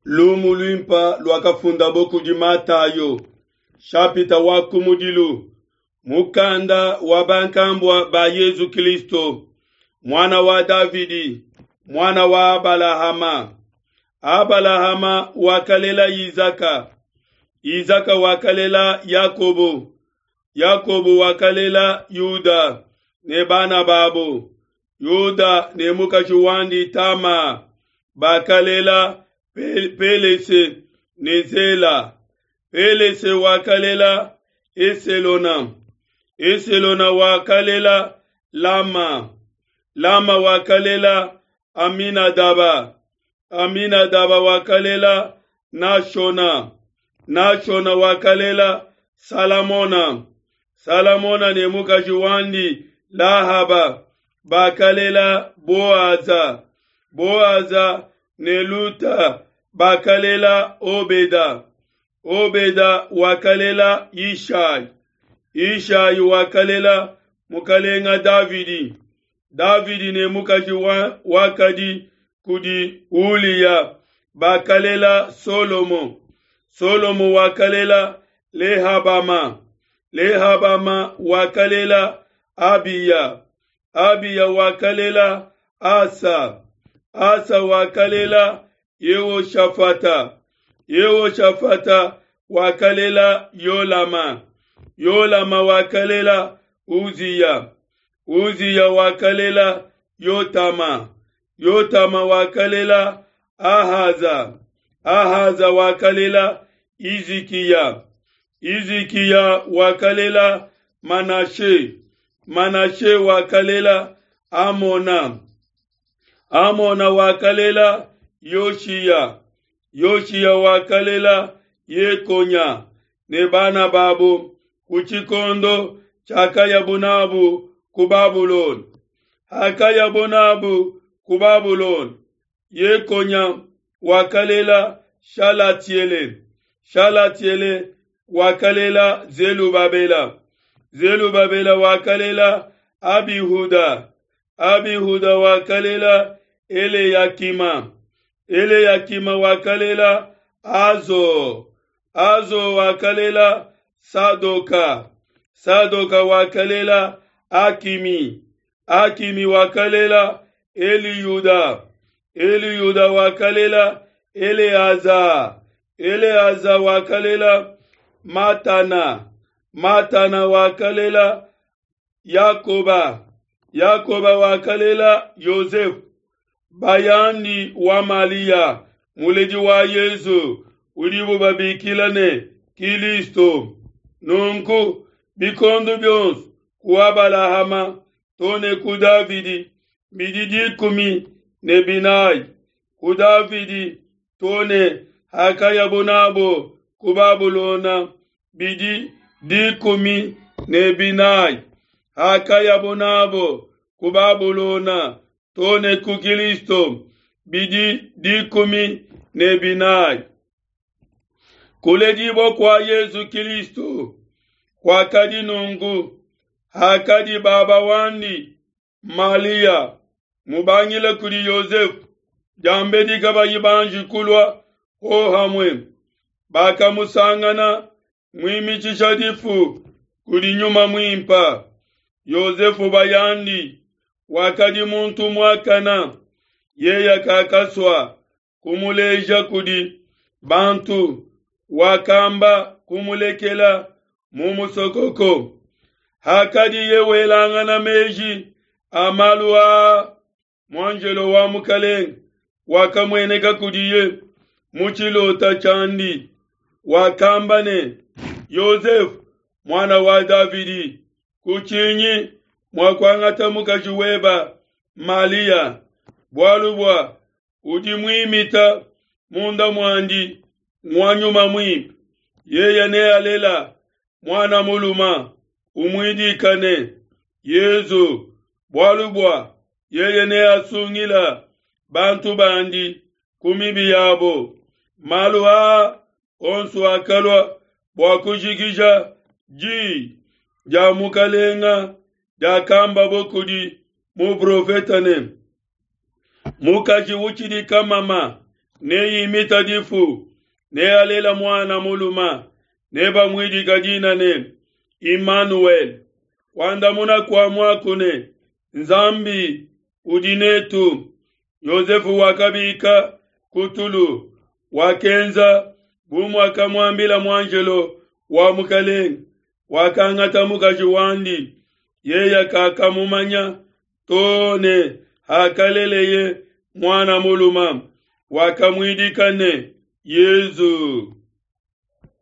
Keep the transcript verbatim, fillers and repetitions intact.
Lumu luimpa luakafundabo kudi Matayo, shapita wa kumudilu, mukanda wa bankambua ba Yezu Kristo, muana wa Davidi, muana wa Abalahama. Abalahama wakalela Izaka, Izaka wakalela Yakobo, Yakobo wakalela Yuda ne bana babo. Yuda ne mukaji wandi Tama bakalela Pelese ne Zela. Pelese wakalela Eselona. Eselona wakalela Lama. Lama wakalela Aminadaba. Aminadaba wakalela Nashona. Nashona wakalela Salamona. Salamona ne mukaji wandi Lahaba bakalela Boaza. Boaza ne Luta bakalela Obeda. Obeda wakalela Yishai. Yishai wakalela mukalenga Davidi. Davidi ne mukaji wa, wakadi kudi Uliya bakalela Solomo. Solomo wakalela Lehabama. Lehabama wakalela Abiya. Abiya wakalela Asa. Asa wakalela Yehoshafata. Yehoshafata wakalela Yolama. Yolama wakalela Uziya. Uziya wakalela Yotama. Yotama wakalela Ahaza. Ahaza wakalela Izikiya. Izikiya wakalela Manashe. Manashe wakalela Amona. Amona wakalela Yoshiya. Yoshiya wakalela Yekonya ne bana babo ku tshikondo tshiakayabu ku Babulona. Hakayabu nabu ku Babulona, Yekonya wakalela Shalatiele. Shalatiele wakalela Zelubabela. Zelubabela wakalela Abihuda. Abihuda wakalela Eleyakima. Eleyakima wakalela Azo. Azo wakalela Sadoka. Sadoka wakalela Akimi. Akimi wakalela Eliyuda. Eliyuda wakalela Eleaza. Eleaza wakalela Matana. Matana wakalela Yakoba. Yakoba wakalela Yosefu. Bayandi wa Malia, muledi wa Yezu, udibu babikila ne Kilisto. Nunku bikondo bionso ku Abalahama tone ku Davidi bidi dikumi ne binayi, ku Davidi tone hakayabu nabo ku Babulona bidi dikumi ne binayi, hakayabu nabo ku Babulona tone ku Kilisto bidi dikumi ne binayi. Kuledibua kua Yezu Kilisto kwakadi nunku: hakadi baba wandi Malia mubangile kudi Yosefu, diambedi kabayi banji kulua hohamue, bakamusangana muimitshisha difu kudi Nyuma Muimpa. Yosefu bayandi wakadi muntu muakana, yeya kakasua kumuleja kudi bantu, wakamba kumulekela mu musokoko. Hakadiye welangana meji a malu aa, muanjelo wa mukalenga wakamueneka kudiye mu tshilota tshiandi, wakamba ne: Yosefu, muana wa Davidi, kutshinyi mua kuangata mukaji weba Malia, bualu bua udi muimita munda muandi ngua Nyuma Muimpe. Yeye nealela muana muluma, umuidikane Yezu, bualu bua yeye neasungila bantu bandi ku mibi yabo. Malu aa onso akalua bua kujikija diyi dia mukalenga diakambabo kudi muprofeta ne: mukaji utshidi kamama Neimita difu, nealela muana muluma, nebamuidika dina ne Imanuele. Kuandamuna kua muaku ne Nzambi udi netu. Yosefe wakabika ku tulu, wakenza bu muakamuambila muanjelo wa Mukelenge, wakangata mukaji wandi, yeye kakamumanya to ne hakaleleye muana mulume, wakamuidika ne Yesu.